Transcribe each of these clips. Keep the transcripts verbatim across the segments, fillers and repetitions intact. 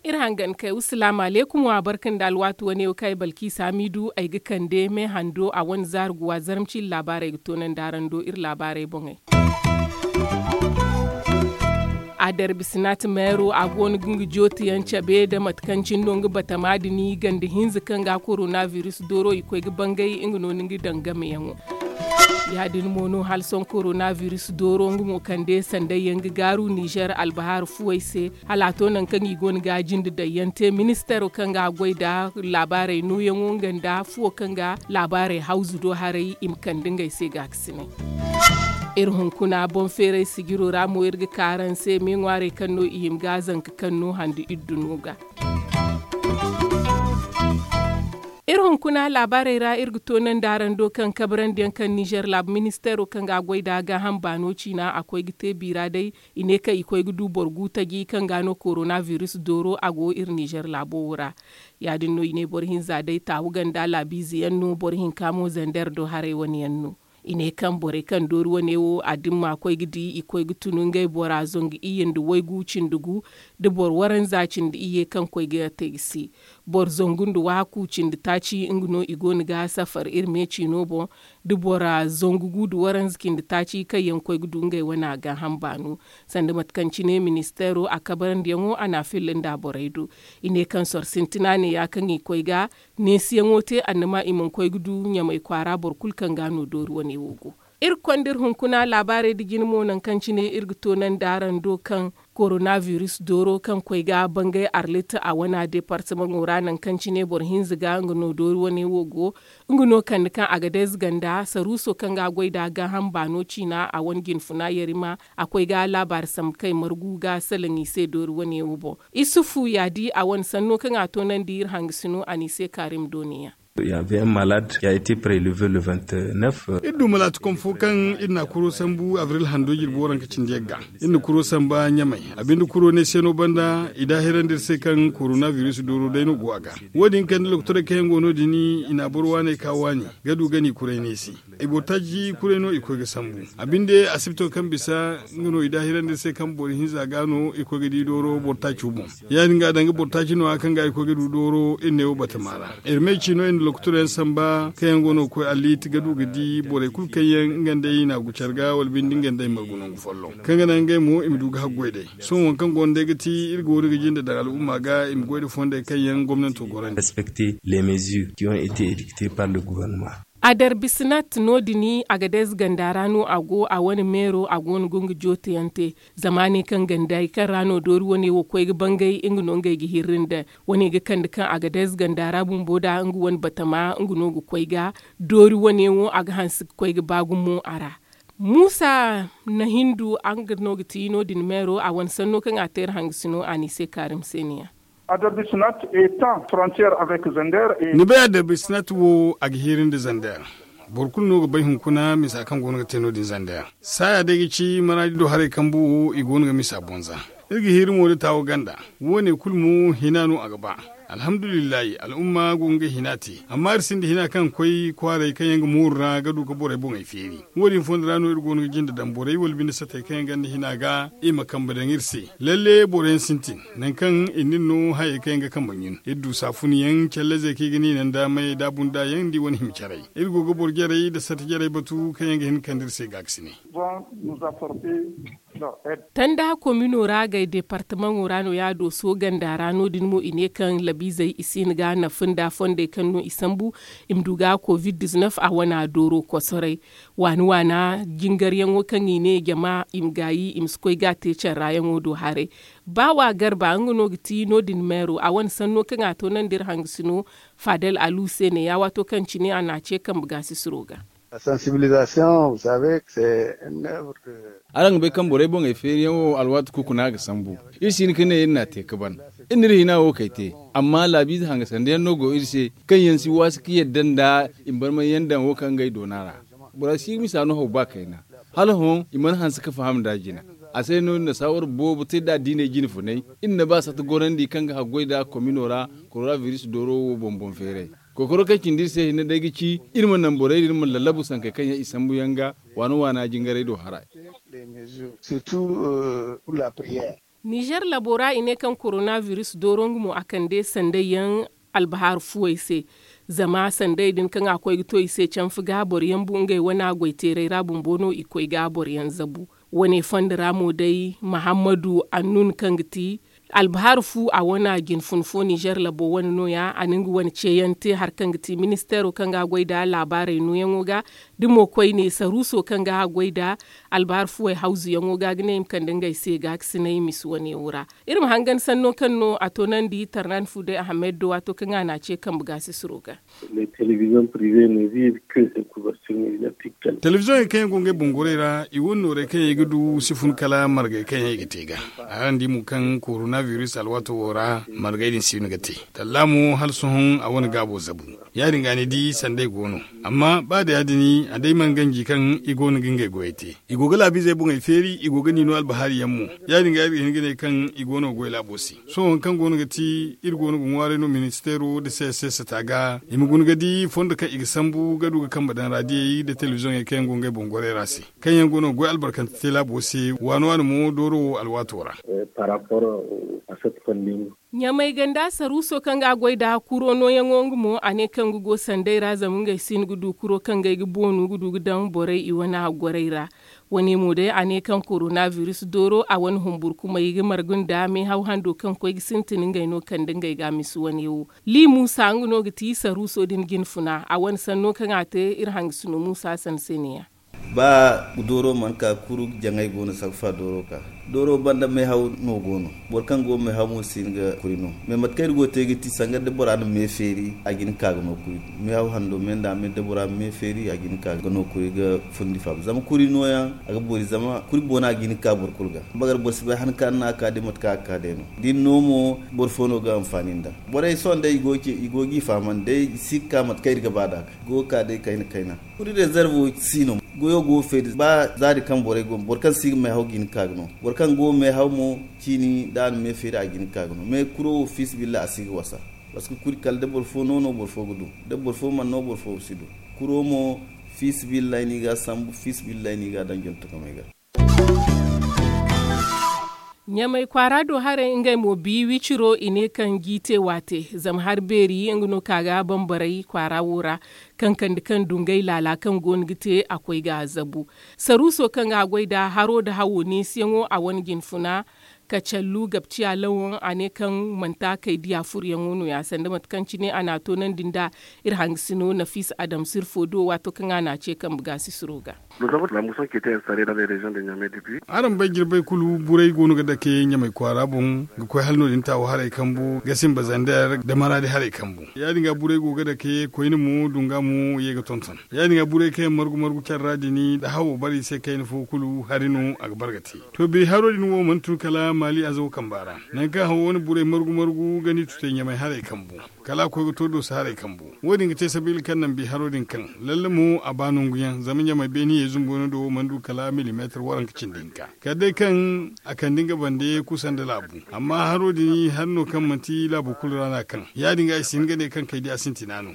Iri hangan kay wa salaamu alaykum wa barka nda alwaati wane wo kaŋ ay balkiisa hamiidu ay ga kande me hando a wane zaari guwa zarma ciine laabaarey ga toonandi araŋ do iri laabaarey boŋey. A darbi sinat meero a go no ga nga jootiyaŋ cabe nda mate kaŋ cine no nga batama din i ganda hinza kaŋ ga koronabiris dooro i koy ga bangay nga no ni ga daŋ gameyaŋo. Ya- din mo no hala sohõ koronabiris dooro nga mo kande sanday yaŋ ga gaaru nizer albahaari fuwey se. Hala a to nangu kaŋ i go no ga a jinde daŋ yaŋ te ministaro kaŋ ga a goy nda laabaarey nooyaŋo nga nda fuwo kaŋ ga laabaarey hawzu do haray i ma kande ngey se gaakasinay. Iri hunkuna boŋ feeray sijiro ra mo iri ga ka araŋ se me ŋwaarey kaŋ no i hima ga a zanka kaŋ no hande iddu no ga. Iri hunkuna laabaarey ra iri ga toonandi araŋ do kaŋ kabrandi yaŋ kaŋ nizer laabu ministeero kaŋ ga a goy nda gaaham baano ciina a koy ga te biira day. I ne kaŋ i koy ga du boro gu taji kaŋ ga no koronabiris dooro a go iri nizer laabo wo ra. Ya- din no i ne boro hinza day taawu ganda laabiize yaŋ no boro hinka mo zander do haray wane yaŋ no. I ne kaŋ borey kaŋ doori wane wo a dimma koy ga di i koy ga tun ngey bora zangu iyye nda waygu cindi gu, nda boro waranza cindi iyye kaŋ koy ga te ga si. Boro zangu nda waaku cindi taaci nga no i go no ga safar iri me ciino boŋ. Da bora zangu gu nda waranza cindi taaci kaŋ yaŋ koy ga du ngey wane a gaaham baano. Sanda mate kaŋ cine ministeero a kabarandiyaŋo a n'a filla nda borey do. I ne kaŋ soro sintina ne ya kaŋ i koy ga neesiyaŋo te annama i mana koy ga du ɲamay kwaara boro kulu kaŋ ga no doori wane wo go. Iri konda iri hunkuna laabaarey nda jine mo nangu kaŋ cine iri ga toonandi araŋ do kaŋ koronabiris dooro kaŋ koy ga bangay arlit a wana departamaŋo ra nangu kaŋ cine boro hinza ga nga no doori wane wo go. Nga no kande kaŋ agadez ganda saruuso kaŋ ga a goy nda gaaham baano ciina a wane jinfuna yarima a koy ga laabaari sambu kay margu ga salaŋ i se doori wane wo boŋ. Isufu ya di a wane sanno kaŋ a toonandi iri hangasino a n'i se kaarim dooniya. Iri du malaati kom fo kaŋ iri na a kuro sambu abril hando jirbi waranka cindi yagga. Iri na kuro samba ɲamay a binde kuro ne se no banda i daahirandi iri se kaŋ koronabiris dooro day no go a ga. Wo- din kande lokotorey kaŋ yaŋ go no- din i na boro waaney ka waani ga du ga n'i kuray neesi. I boro taaci kuray no i koy ga sambu. A binde asibito kaŋ bisa nga no i daahirandi iri se kaŋ boro hinza ga no i koy ga di dooro boro taaco boŋ. Ya- din ga a daŋ ga boro taaci no- ya kaŋ ga i koy ga du dooro iri ne wo batama ra. Iri me ciino iri na lokotorey yaŋ samba kaŋ yaŋ go no ga koy alliiti ga du ga di borey kulu kaŋ yaŋ nga nd'ey i na a gu care ga wala binde nga nd'ey margu nangu folloŋ kaŋ ga naŋ ngey mo i ma du ga haggoy day. Sohõ waŋ kaŋ go no day ga ti iri go no ga jinde daŋ al'umma ga i ma goy nda fondey kaŋ yaŋ gomnanto gorandi. A darbi sinat no- din agadez ganda ra no a go a wane meero a go no ga nga jooteyaŋ te. Zama ne kaŋ gandey kaŋ ra no doori wane wo koy ga bangay nga no ngey ga hirri nda wane ga kande kaŋ agadez ganda ra bumbo da nga wane batama nga no ga koy ga doori wane wo a ga hanse ga koy ga ba gumo a ra. Muusa na hindu nga no ga ti no- din meero a wane sanno kaŋ a te iri hangasino a n'i se kaarim se ne- ya. Ni bay adarbi sinat wo a ga hiiri nda zander. Boro kulu no ga bay hunkuna misa kaŋ go no ga te no- din zander saaya day ga ci maraadi do haray kambu wo i go no ga misa boŋ za. Iri ga hiiri mo da taawo ganda. Wo- ne kulu mo hina no a ga ba. Alhamdulillahi al'umma go ga ngey hina te amma iri sinda hina kaŋ ga koy kwaaray kaŋ yaŋ ga mooru ra ga du ga borey boŋey feeri. Wo- din fondo ra no iri go no ga jinde daŋ borey wala binde satey kaŋ yaŋ ganda hina ga i ma kambe daŋ iri se. Lalle boro yaŋ sintin nangu kaŋ iri n'iri no hayey kaŋ yaŋ ga kambe ɲun iri du saafun yaŋ callazey kaŋ i ga niina nda may da bunda yaŋ nda i wane hima carey. Iri go ga boro jarey nda sata jarey batu kaŋ yaŋ ga hin ga kande iri se gaakasinay. Tanda komino ra gay departamaŋo ra no ya dooso ganda ra no- din mo i ne kaŋ labiizey i si hin ga nafa nda fondey kaŋ no i sambu i ma du ga covid diznef a wana dooro kosoray. Waani waana jingaryaŋo kaŋ i ne jama i ma gaayi i ma si koy ga a te carrayaŋo do haray. Ba wa garba nga no ga ti no- din meero a wane sanno kaŋ a toonandi iri hangasino. Fadel alu se ne ya waato kaŋ cine a n'a ce kambe gaasisiro ga. Araŋ ga bay kaŋ borey boŋey feeriyaŋo alwaati kukuna ga sambu. Iri si hin ga ne iri n'a te ga ban iri n'iri hina wo kay te. Amma laabiize hangasandiyaŋ no go iri se kaŋ yaŋ si waasi ga yadda nda i ma barmay yaŋ daŋ wo kaŋ ngey doona ra. Bora si ga misa no haw ba kayna. Hala hõ i mana hanse ga faham nd'a jina. A se no iri na saawar boobo te nd'a diiney jine funay. Iri na ba sata gorandi kaŋ ga haggoy nd'a komino ra koronabiris dooro wo boŋ boŋ feeray. Kokoro kaŋ cindi iri se hinne day ga ci iri ma naŋ borey din ma lallabu sankey kaŋ yaŋ i sambu yaŋ ga waana waana jingarey do haray. Nizer labo ra i ne kaŋ korona biris dooro nga mo a kande sanday yaŋ albahar fuwey se. Zama sanday din kaŋ a koy ga to i se canfa ga boro yaŋ bu ngey wane goyteeray ra bumbo no i koy ga boro yaŋ zabu. Wane fondo ra mo day mahammadu annun kaŋ ga ti albahar fu a wane jinfun fo nizer labo wane no- ya a na nga wane ceeyaŋ te hari kaŋ ga ti ministeero kaŋ ga a goy nda laabaarey nooyaŋo ga. Da mo koyne saruuso kaŋ ga a goy nda albahar fuwey hawzuyaŋo ga ga ne i ma kande ngey se ga ga sinay misi wane wo ra. Iri ma hangan sanno kaŋ no a toonandi tarnan fu day ahamed do waato kaŋ a na a ce kambe ga sisiro ga. Telebizoŋey kaŋ yaŋ go ngey boŋ gorey ra i wane noorey kaŋ yaŋ i ga du si fun kala margey kaŋ yaŋ i ga te ga. Araŋ di mo kaŋ korona biris alwaato wo ra margey din si no ga te. Talla mo hala sohõ a wane gaabo zabu. Ya- din ga ni di sanday go no. Amma ba da ya- din a day mana ganji kaŋ i go no ga ngey goyey te. I go ga laabiizey boŋey feeri i go ga ni no albahari yaŋ mo. Ya- din ga iri ga hin ga ne kaŋ i go no ga goy laabo se. Sohõ hari kaŋ go no ga ti iri go no ga ŋwaaray no ministeero nda se se sata ga i ma guna ga di fondo kaŋ i ga sambu ga du ga kambe daŋ raadiyey nda telebizoŋey kaŋ yaŋ go ngey boŋ gorey ra se kaŋ yaŋ go no ga goy albarkante te laabo se waani waani mo dooro wo alwaato ra. Ɲamay ganda saruuso kaŋ ga a goy nda kuro nooyaŋo nga mo a ne kaŋ ga go sanday ra zama ngey si hin ga du kuro kaŋ ga ay ga boonu ga du ga daŋ borey i wane a gorey ra. Wane mo day a ne kaŋ korona biris dooro a wane humburkumay ga margu nda meehaw hando kaŋ koy ga sintin ngey no kande ngey ga a misi wane wo. Li muusa nga no ga ti saruuso din jinfuna a wane sanno kaŋ a te iri hangasino muusa sanseneya. Ba dooro mana ka kuru jaŋay go no sarfa dooro ka dooro banda meehaw no go no. Boro kaŋ go meehaw mo si hin ga kuri no. Mais mate kaŋ iri go ga te ga ti sanga da bora na meefeeri a ga hin ga ka ga no kuri. Meehaw hando me nda me da bora ma meefeeri a ga hin ga ka ga no kuri ga fundi faaba zama kuri nooyaŋ a ga boori zama kuri boona a ga hin ga ka boro kulu ga. Bagar boro si bay han kaŋ a na a ka day mate kaŋ a ga ka day no da ni no mo. Boro fo no ga anfaani nda borey sohõ day i go ga i fahamandi day i si ga ka mate kaŋ iri ga ba nd'a. Go ga ka day kayna kayna. Kuri rezervo si no. Goyo go ga feeri ba zaari kaŋ borey go boro kaŋ si ga meehaw ga hin ga ka ga no. Boro kaŋ go ga meehaw mo ciini da a na meefeeri a ga hin ga ka ga no mais kuro wo fiisabilillahi a si ga wasa. Parceque kuri kala da boro fo no no boro fo ga du. Da boro fo mana no boro fo si du. Kuro mo fiisabilillahi no i ga a sambu fiisabilillahi no i ga a daŋ jontokamey ga. Ɲamay kwaara do haray ngey mo bi wiciro i ne kaŋ jiite waate zama hari beeri nga no ka ga bambaray kwaara wo ra. Kaŋ kande kaŋ du ngey laala kaŋ go no ga te a koy ga a zabu. Saruuso kaŋ ga a goy nda haro nda hawo neesiyaŋo a wane jinfuna. Kacallu gabciya lawoŋ a ne kaŋ manti a kay diya furuyaŋo no- ya sanda mate kaŋ cine a na a toonandi nda iri hangasino nafiisa adama sirfo do waato kaŋ a na a ce kambe ga sisiro ga. Araŋ bay jirbey kulu burey go no ga dake ɲamay kwaara boŋ ga koy hala no- din taawo haray kambu ga simba zander da maraadi haray kambu. Ya- din ga burey go ga dake koyne mo dunga mo ye ga tonton. Ya- din ga burey kaŋ yaŋ margu margu care ra din da hawo bare i se kayna fo kulu hari no a ga bare ga te. To biri haro din wo mana tun kala maali azawo kamba ra. Nangu kaŋ hawo wane burey margu margu ga ni tutay ɲamay haray kambu. Kala a koy ga to dooso haray kambu wo- din ga te sabiila kaŋ naŋ bi haro din kaŋ lalle mo a ba nangu yaŋ zama ɲamay beene ye zumbu wane do wo mana du kala milimeetar waranka cindi hinka. Kala day kaŋ a kande nga bande kusa nda laabu. Amma haro din hari no kaŋ manti laabu kulu ra no a kaŋ. Ya- din ga i si hin ga ne kaŋ kay di a sintina no.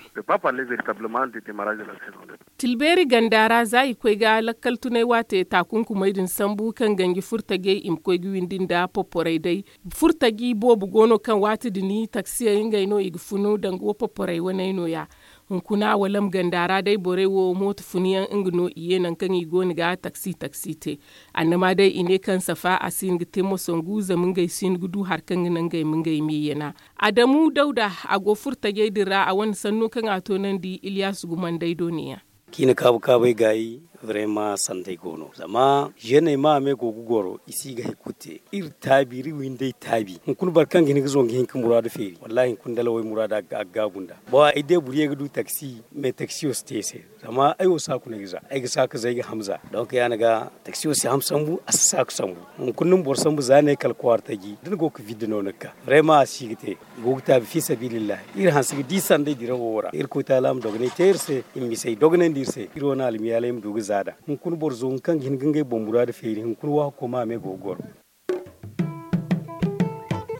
Tilbeeri ganda ra za i koy ga lakkal tunay waate taakunkumey din sambu kaŋ ganji furtajey i ma koy ga windi nda poporey day. Furtaji boobo go no kaŋ waati din taksiyey ngey no i ga funu danga wo poporey waney no- ya. Hunkuna walam ganda ra day borey wo mooto funu yaŋ nga no i ye nangu kaŋ i go no ga taksi taksi te. Annama day i ne kaŋ safa a si hin ga te moso ngu zama ngey si hin ga du hari kaŋ ga naŋ ngey ma ngey me yana. Adamu dawda a go furtajey din ra a wane sanno kaŋ a toonandi iliyas gumandey do ne- ya. Ciina kaabu kaabey gaayi. Vraiment sanday go no zama zeeney ma a me go ga goro i si ga hari kulu te. Iri taabi iri windey taabi hunkuna boro kaŋ ga hin ga zongu hinka muraadu feeri wallaahi hunkuna dalawey muraadu a ga gaabu nd'a. Boŋ ay day boro ye ga du taksi mais taksiyo si te i se. Zama ay wo saaku no ay ga za ay ga saaku za ay ga hamza. Donk ya- ni ga taksiyo si ham sambu a si saaku sambu. Hunkuna ni ma boro sambu za ne kala kwaara taji da ni go ga vidde no ni ga ka. Vraiment a si ga te. I go ga taabi fi sabilillahi iri hanse ga di sanday dirawo ra irkoy taala ma dogonay te iri se. I ma bisa i dogonandi iri se iri wane almiyaaley ma du ga za nd'a. Hunkuna boro zo nga kaŋ ga hin ga ngey boŋ muraadu feeri hunkuna waahako ma a me go ga goro.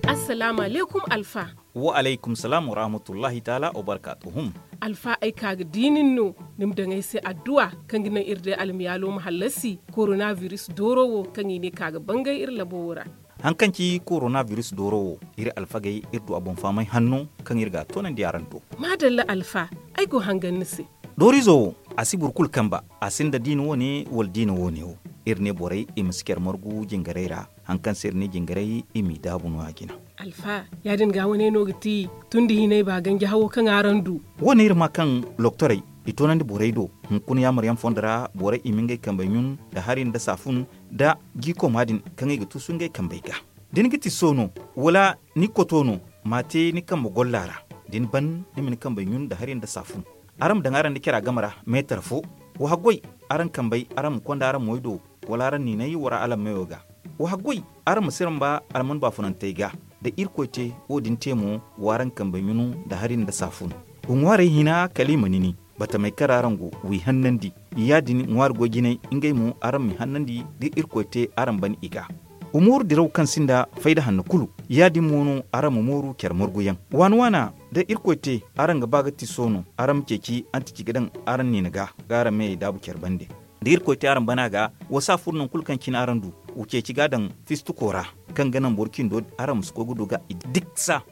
A Salaamu alaykum, alfa. Wa alaykum salaam wa rahmatullahi taala wa barkaatuhum. Alfa, ay ka ga di nin no, ni ma daŋ ay se adduwa, kaŋ ga naŋ iri day almiyaalo ma hallasi korona biris dooro wo, kaŋ i ne ka ga bangay iri labo wo ra. Haŋ kaŋ ci korona biris dooro wo, iri alfagey, iri du a boŋ fahamay hanno, kaŋ iri ga a toonandi araŋ do. Maadalla, alfa, ay go hangan ni se. Doorizo wo, a si boro kulu kamba, a sinda diina wo-ne wala diina wo-ne wo. Iri ne borey i ma si care margu jingarey ra, haŋ kaŋ se iri ne jingarey i m'i daabu no-ya jina. Alfa, ya-din ga wane no ga ti tun da hinay ba ganji hawo kaŋ araŋ du? Wo-ne iri maa kaŋ loktorey i toonandi borey do. Hunkuna yaamaryaŋ fondo ra, borey i ma ngey kambey ɲun nda hari nda saafun, nda jiikoma din kaŋ i ga tuusu ngey kambey ga. Da ni ga tiso no, wala ni koto no, m'a te ni kambe golla ra. Da ni ban, ni ma ni kambey ɲun nda hari nda saafun. Araŋ ma daŋ araŋ nda cara game ra meetar fo. Wa haggoy, araŋ kambey, araŋ ma konda araŋ moy do, wala araŋ niinay wara alammey wo ga. Wa haggoy, araŋ ma siramba alman baafunantey ga. Da Irkoy te wo-din te mo, w'araŋ kambey ɲunu nda hari nda saafun. Wa ŋwaarey hina kala i ma nini, batamey kaŋ ra araŋ go, w'i hannandi. Ya-din ŋwaari goy jinay, ngey mo araŋ m'i hannandi, da Irkoy te araŋ ban i ga. Wa mooru diraw kaŋ sinda fayda hanno kulu. Ya-din mo no araŋ ma mooru care marguyaŋ. Waana-waana, da Irkoy te araŋ ga ba ga tiso no, araŋ ma ceeci antici ga daŋ araŋ niina ga, ga araŋ meyey daabu care bande. Da Irkoy te araŋ bana ga, wa saafur nangu kulu kaŋ cine araŋ du, wa ceeci ga daŋ fistuko ra, kaŋ ga naŋ boro cindo araŋ ma si koy ga du ga i diksa.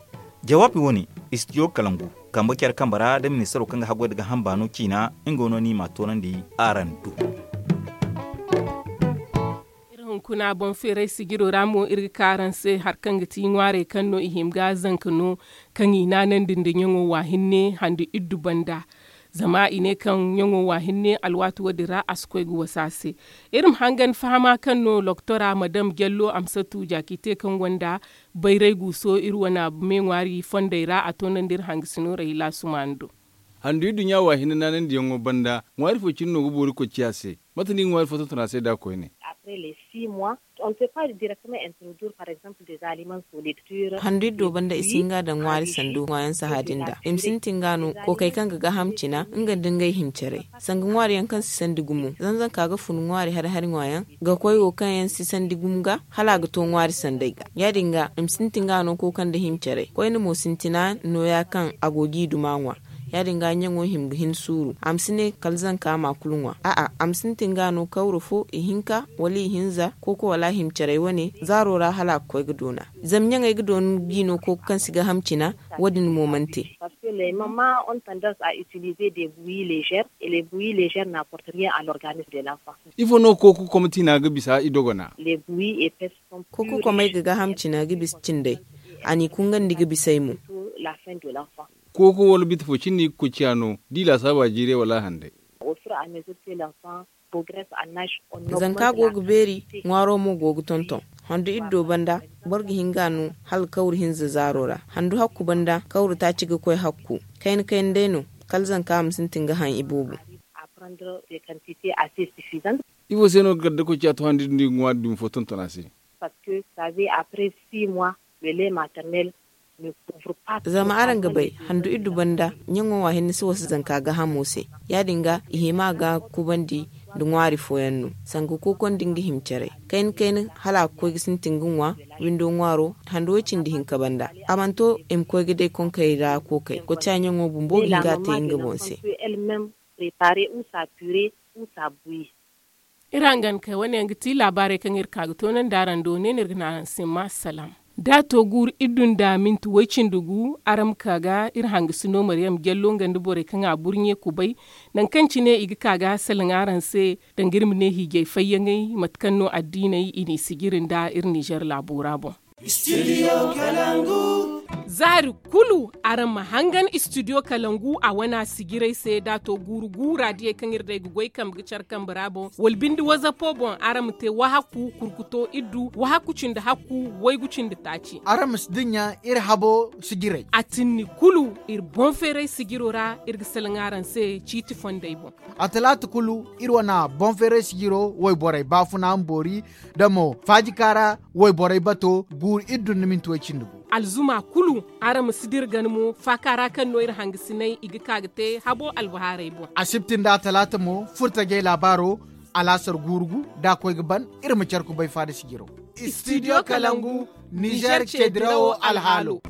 Jawaabi wo-ne, istidiyo kalangu, kambe care kambe ra da ministaro kaŋ ga haggoy nda gaaham baano ciina, nga no ni m'a toonandi araŋ do. Iri hunkuna boŋ feeray sijiro ra mo, iri ga ka araŋ se hari kaŋ ga ti ŋwaarey kaŋ no i hima ga zanka no, kaŋ i naanandi nda ɲaŋo wa hinne handu iddu banda. Zama i ne kaŋ ɲaŋo wa hinne alwaati wo-din ra a si koy ga wasa se. Iri ma hangan fahama kaŋ no loktora madam jallo amsatu jaakite kaŋ gonda bayray guuso iri wana me ŋwaari fondey ra a toonandi iri hangasino rahila sumaani do. Handu iddu ɲa wa hinne naanandiyaŋo banda ŋwaari fo cine no ga boori koy ciya se. Mate no i ga ŋwaari fo tonton a se da koyne? Handu iddo banda i si hin ga daŋ ŋwaari sandu ŋwaayaŋ saha din da i ma sintin ga no kookey kaŋ ga gaaham cina nga nda ngey himcaray sanga ŋwaari yaŋ kaŋ si sandi gumo zanzanka ga fun ŋwaari hari hari ŋwaayaŋ ga koy wo kaŋ yaŋ si sandi gumo ga hala a ga to ŋwaari sanday ga. Ya- din ga i ma sintin ga no kooka nda himcaray koyne mo sintina nooya kaŋ a go g'i duma ŋwa. Ya- din ga ɲaŋo hima ga hin suuru a ma si ne kala zanka ma kulu ŋwa a'a a ma sintin ga no kawra fo ihinka wala ihinza kooko wala himcaray wane zaaro ra hala a ga koy ga doona. Zama ɲaŋey ga doona g'i no kooko kaŋ si gaaham cina. Wo- din mo mana te. Ifo no kooko komtina ga bisa i dogona? Kooko komey ga gaaham cina ga bisa cindey. A n'i kungandi ga bisey mo. Kooko wala biti fo cine no i ga koy ciya no da i laasaaba jiiray wala handay? Zanka go ga beeri ŋwaaro mo go ga tonton. Handu iddo banda boro ga hin ga no hala kawru hinza zaaro ra handu hakku banda kawru taaci ga koy hakku. Kayna kayna day no kala zanka ma sintin ga haŋ iboobo. Ifo se no ga gardakoy ciya to handu iddo no i ga ŋwaari dumi fo tonton a se? Zama araŋ ga bay handu iddu banda ɲaŋo wa hinne si wasa zanka gaahamo se. Ya- din ga i hima ga kubandi nda ŋwaari fooyaŋ no sanga kooko nda nga himcaray kayna kayna hala a ga koy ga sintin ga ŋwa. Windo ŋwaaro handu way- cindi hinka banda a mana to i ma koy ga day konkey ra kookey koociya ɲaŋo bumbo ga hin ga a te nga boŋ se. Iri hangan kay wane yaŋ ga ti laabaarey kaŋ iri ka ga toonandi araŋ do ne no iri ga ne araŋ se ma salaam. Da a to guuru iddu nda minti way- cindi gu araŋ ma ka ga iri hangasino mariyam jallo nga nda borey kaŋ a burɲe kubay. Nangu kaŋ cine i ga ka ga salaŋ araŋ se danga iri ma ne hiijay fayyaŋey mate kaŋ no addiiney i n'i sijiri nda iri nizer laabo ra boŋ. Zaari kulu araŋ ma hangan istidiyo kalangu a wana sijiray se da a to guuru guura diyey kaŋ iri day ga goy kambe ga care kambe ra boŋ wala binde wazapo boŋ araŋ ma te wahakku kurkuto iddu wahakku cindi hakku waygu cindi taaci. Araŋ ma si dinya iri habo sijiray. A tinni kulu iri boŋ feeray sijiro ra iri ga salaŋ araŋ se ciiti fondey boŋ. A talaata kulu iri wana boŋ feeray sijiro wayborey baafuna ma boori da mo faajika ra wayborey bato guuru iddu nda minti way- cindi gu. Alzuma kulu araŋ ma si dira gana mo faaka ra kaŋ no iri hangasinay i ga ka ga te habo albahaarey boŋ. Asibti nda atalaata mo furtajey laabaaro alaasar guuru gu da a koy ga ban iri ma care kubay faada sijiro. Studio Kalangu, Niger ce dirawo alhaalo.